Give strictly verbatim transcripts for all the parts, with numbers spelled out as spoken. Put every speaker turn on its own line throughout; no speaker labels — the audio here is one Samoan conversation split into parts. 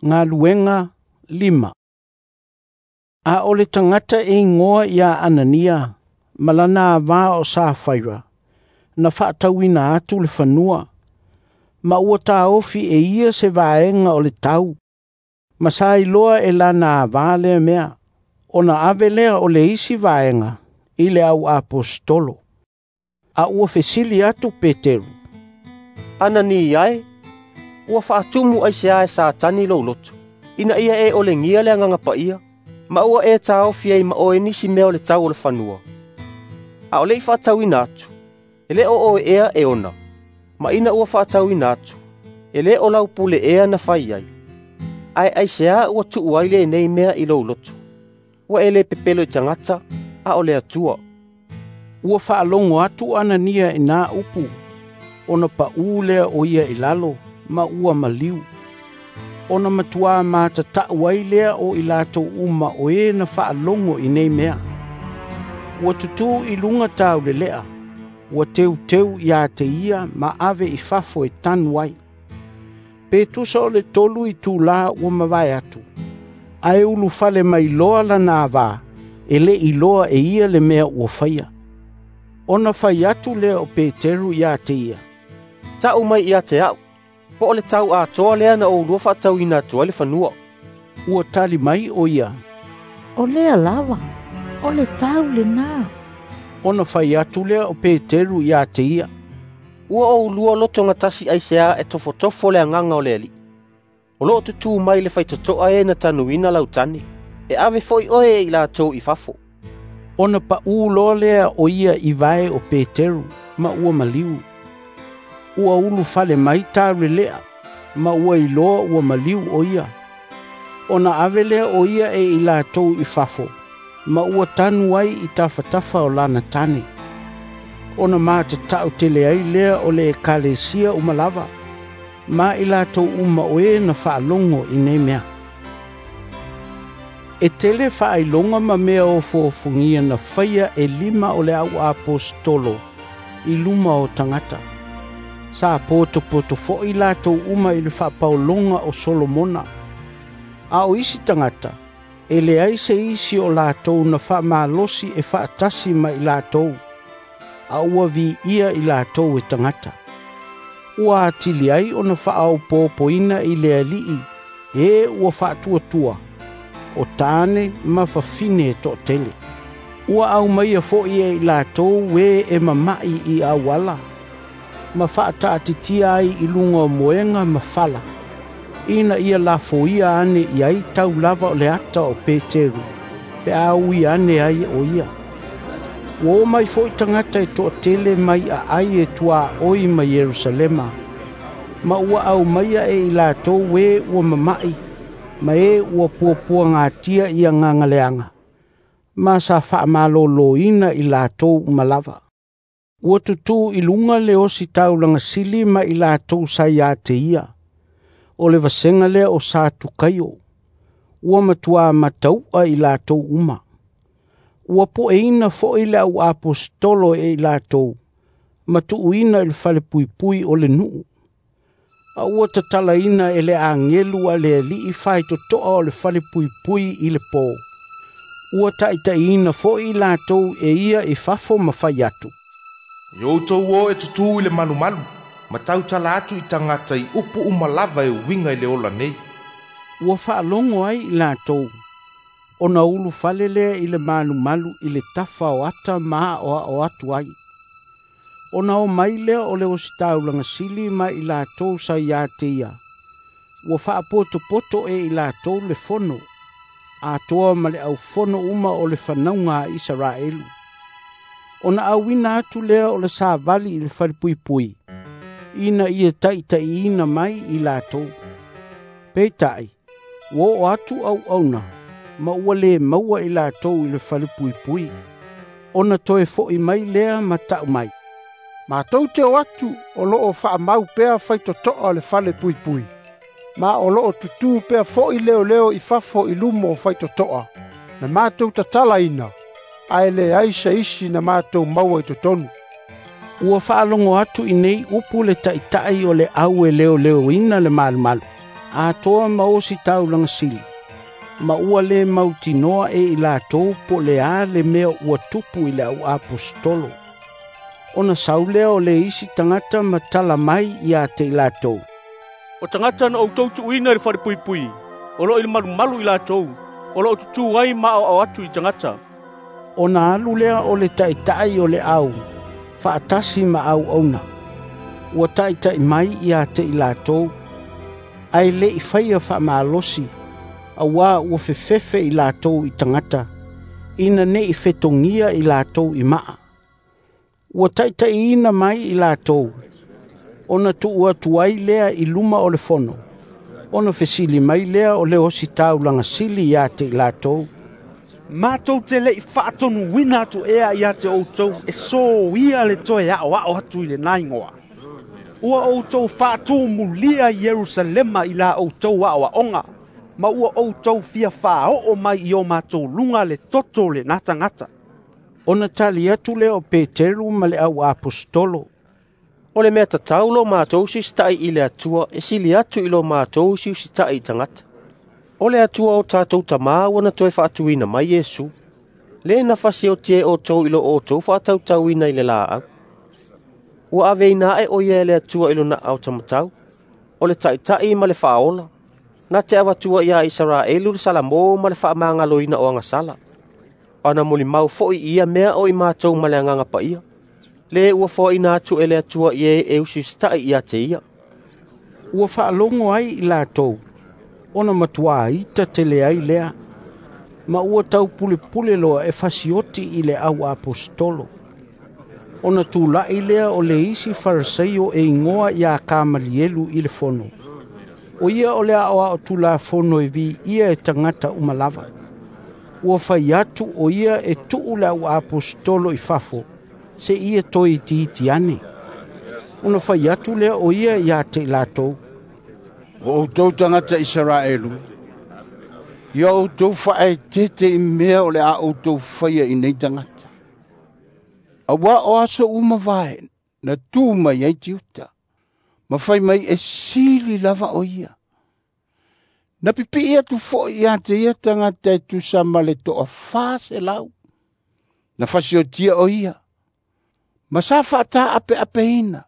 Galuega lima. A o le tagata e igoa ia Anania ma lana ava o Safaira na faatauina atu le fanua ma ua taofi e ia se vaega o le tau ma sa iloa e lana ava lea mea ona ave lea o le isi vaega i le au aposetolo. A ua fesili atu Peteru,
"Anania e, ua faatumu aisea e Satani lou loto, ina ia e olegia le Agaga Paia, ma ua e taofi ai ma oe nisi mea o le tau o le fanua? A o le i faatauina atu, e le o oe ea e ona, ma ina ua faatauina atu, e le o lau pule ea na fai ai. Ae aisea ua tuu ai lenei mea i lou loto? Ua e le pepelo i tagata, a o le Atua."
Ua faalogo atu Anania i nā upu, ona paʻū lea o ia i lalo, ma ua maliu. Ona matuā matatau ai lea o i latou uma o e na faalogo i nei mea. Ua tutū i luga taulelea, ua teuteu ia te ia ma ave i fafo e tanu ai. Pe tusa o le tolu itulā ua mavae atu, ae ulufale mai loa lana ava, e le iloa e ia le mea ua faia. Ona fai atu lea o Peteru ia te ia,
"Tau mai ia te au, po o le tau atoa lea na oulua faatauina atu ai le fanua."
Ua tali mai o ia,
"O lea lava, o le tau lena."
Ona fai atu lea o Peteru ia te ia,
"Ua oulua lotogatasi aisea e tofotofo le agaga o le Alii. O loo tutū mai le faitotoa e na tanuina lau tane, e ave foi oe e i latou i fafo."
Ona paʻū loa lea o ia i vae o Peteru ma ua maliu. Ua ulufale mai taulelea, ma ua iloa ua maliu o ia. Ona ave lea o ia e i latou i fafo, ma ua tanu ai i tafatafa o lana tane. Ona matatau tele ai lea o le ekalesia uma lava, ma i latou uma o e na faalogo i nei mea. E tele faailoga ma mea ofoofogia na faia e lima o le au aposetolo i luma o tagata. Sa potopoto foi latou uma i le faapaologa o Solomona. A o isi tagata, e leai se isi o latou na faamalosi e faatasi ma i latou, a ua viia i latou e tagata. Ua atili ai ona faaopoopoina i le Alii e ua faatuatua, o tane ma fafine e toatele. Ua aumaia foi e i latou e e mama'i i auala, ma faataatitia ai i luga o moega ma fala, ina ia lafoia ane i ai tau lava o le ata o Peteru, pe a ui ane ai o ia. Ua o mai foi tagata e toatele mai aai e tuaoi ma Ierusalema, ma ua aumaia e i latou e ua mama'i, ma e ua puapuagatia i agaga leaga, ma sa faamalōlōina i latou uma lava. Ua tutū i luga le ositaulaga sili ma i latou sa ia te ia, o le vasega lea o Satukaio, ua matuā matau'a i latou uma. Ua poeina foi le au aposetolo e i latou, ma tuuina i le falepuipui o le nuu. A ua tatalaina e le agelu a le Alii faitotoa o le falepuipui i le pō. Ua taitaiina foi i latou e ia i fafo ma fai atu,
"I outou o e tutū i le malumalu, ma tautala atu i tagata i upu uma lava e uiga i le ola nei."
Ua faalogo ai i latou, ona ulufale lea i le malumalu i le tafa o ata ma aoao atu ai. Ona o mai lea o le ositaulaga sili ma i latou sa ia te ia, ua faapotopoto e i latou le fono, atoa ma le aufono uma o le fanauga a Isaraelu. Ona auina atu lea o le savali i le falepuipui, ina ia taitaiina mai i latou. Peitai, ua oo atu auauna, ma ua le maua i latou i le falepuipui. Ona toe foi mai lea ma tau mai,
"Matou te o atu o loo faamau pea faitotoa o le falepuipui, ma o loo tutū pea foi leoleo i fafo i luma o faitotoa, na matou tatalaina, ae leai se isi na matou maua i totonu."
Ua faalogo atu i nei upu le taitai o le au e leoleoina le malumalu, Atoa ma ositaulaga sili, ma ua lē mautinoa e i latou po o le a le mea ua tupu i le auaposetolo. Ona sau lea o le isi tagata ma tala mai ia te i latou,
“O tagata na outou tuuina i le falepuipui, o loo i le malumalu i latou, o loo tutū ai ma aoao atu i tagata.”
Ona alu lea o le taʻitaʻi o le au faatasi ma auauna, ua taʻitaʻi mai ia te i latou, ae leʻi faia faamalosi, auā ua fefefe i latou i tagata, ina neʻi fetogia i latou i maa. Ua taʻitaʻiina mai i latou, ona tuu atu ai lea i luma o le fono, ona fesili mai lea o le ositaulaga sili ia te i latou,
“Matou te leʻi faatonuina atu ea ia te outou e soia le toe aʻoaʻo atu i lena igoa? Ua outou faatumulia Ierusalema i la outou aʻoaʻoga, ma ua outou fia faaoo mai i o matou luga le toto o lena tagata.”
Ona tali atu lea o Peteru ma le auaposetolo,
“O le mea tatau lo matou usiusitaʻi i le Atua e sili atu i lo matou usiusitaʻi i tagata. O le Atua o tatou tamā ua na toe faatuina mai Iesu, le na fasiotia e outou i lo outou faatautauina i le laau. Ua aveina aʻe o ia e le Atua i lona aao taumatau, o le Taʻitaʻi ma le Faaola, na te avatua ia Isaraelu le salamo ma le faamagaloina o agasala. O ana molimau foʻi i ia mea o i matou ma le Agaga Paia, le ua foaina atu e le Atua i e e usiusitaʻi ia te ia.”
Ua faalogo ai i latou, ona matuā ita tele ai lea, ma ua taupulepule loa e fasioti i le auaposetolo. Ona tulaʻi lea o le isi Fariseio e igoa iā Kamalielu i le fono. O ia o le aʻoaʻo tulafono e viia e tagata uma lava. Ua fai atu o ia e tuu le auaposetolo i fafo, seia toe itiiti ane. Ona fai atu lea o ia ia te i latou,
“O outou tagata Isaraelu, ia outou faaeteete i mea o le a outou faia i nei tagata. Auā o aso ua mavae na tu mai ai Tiuta, ma fai mai e sili lava o ia. Na pipiʻi atu foʻi ia te ia tagata e tusa ma le toafā selau. Na fasiotia o ia, ma sa faataapeapeina,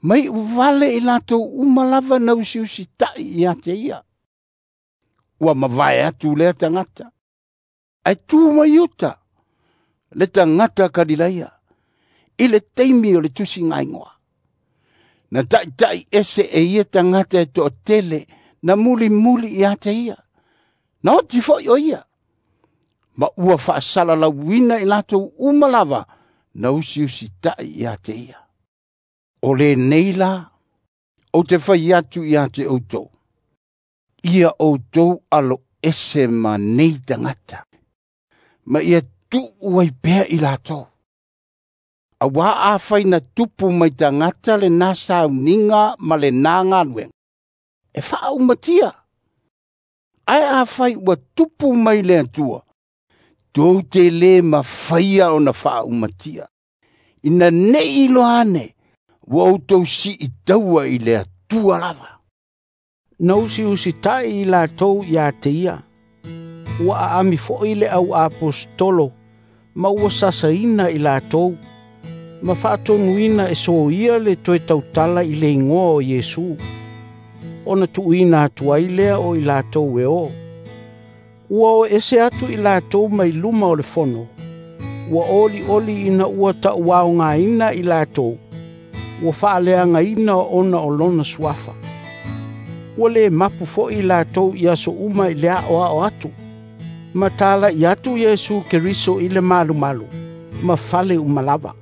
mai vale i latou uma lava na usiusitaʻi ia te ia. Ua mavae atu lea tagata, ae tu mai uta, le tagata Kalilaia, i le taimi o le tusigaigoa. Na taʻitaʻi ese e ia tagata e toatele na mulimuli ia te ia. Na oti foʻi o ia, ma ua faasalalauina i latou uma lava na usiusitaʻi ia te ia. O lenei la, ou te fai atu ia te outou, ia outou alo ese ma nei tagata, ma ia tuu ai pea i latou. Auā afai na tupu mai tagata lena sauniga ma lena galuega, e faaumatia. Ae afai ua tupu mai le Atua, tou te lē mafaia ona faaumatia, ina neʻi iloa ane ua outou siitaua i le Atua lava.”
Na usiusitaʻi i latou ia te ia. Ua aami foʻi le auaposetolo ma ua sasaina i latou, ma faatonuina e soia le toe tautala i le igoa o Iesu. Ona tuuina atu ai lea o i latou e o. Ua o ese atu i latou mai luma o le fono, ua olioli ina ua taʻuaogaina i latou, ua faaleagaina ona o lona suafa. Ua lē mapu foʻi i latou i aso uma i le aʻoaʻo atu, ma talaʻi atu Iesu Keriso i le malumalu, ma fale uma lava.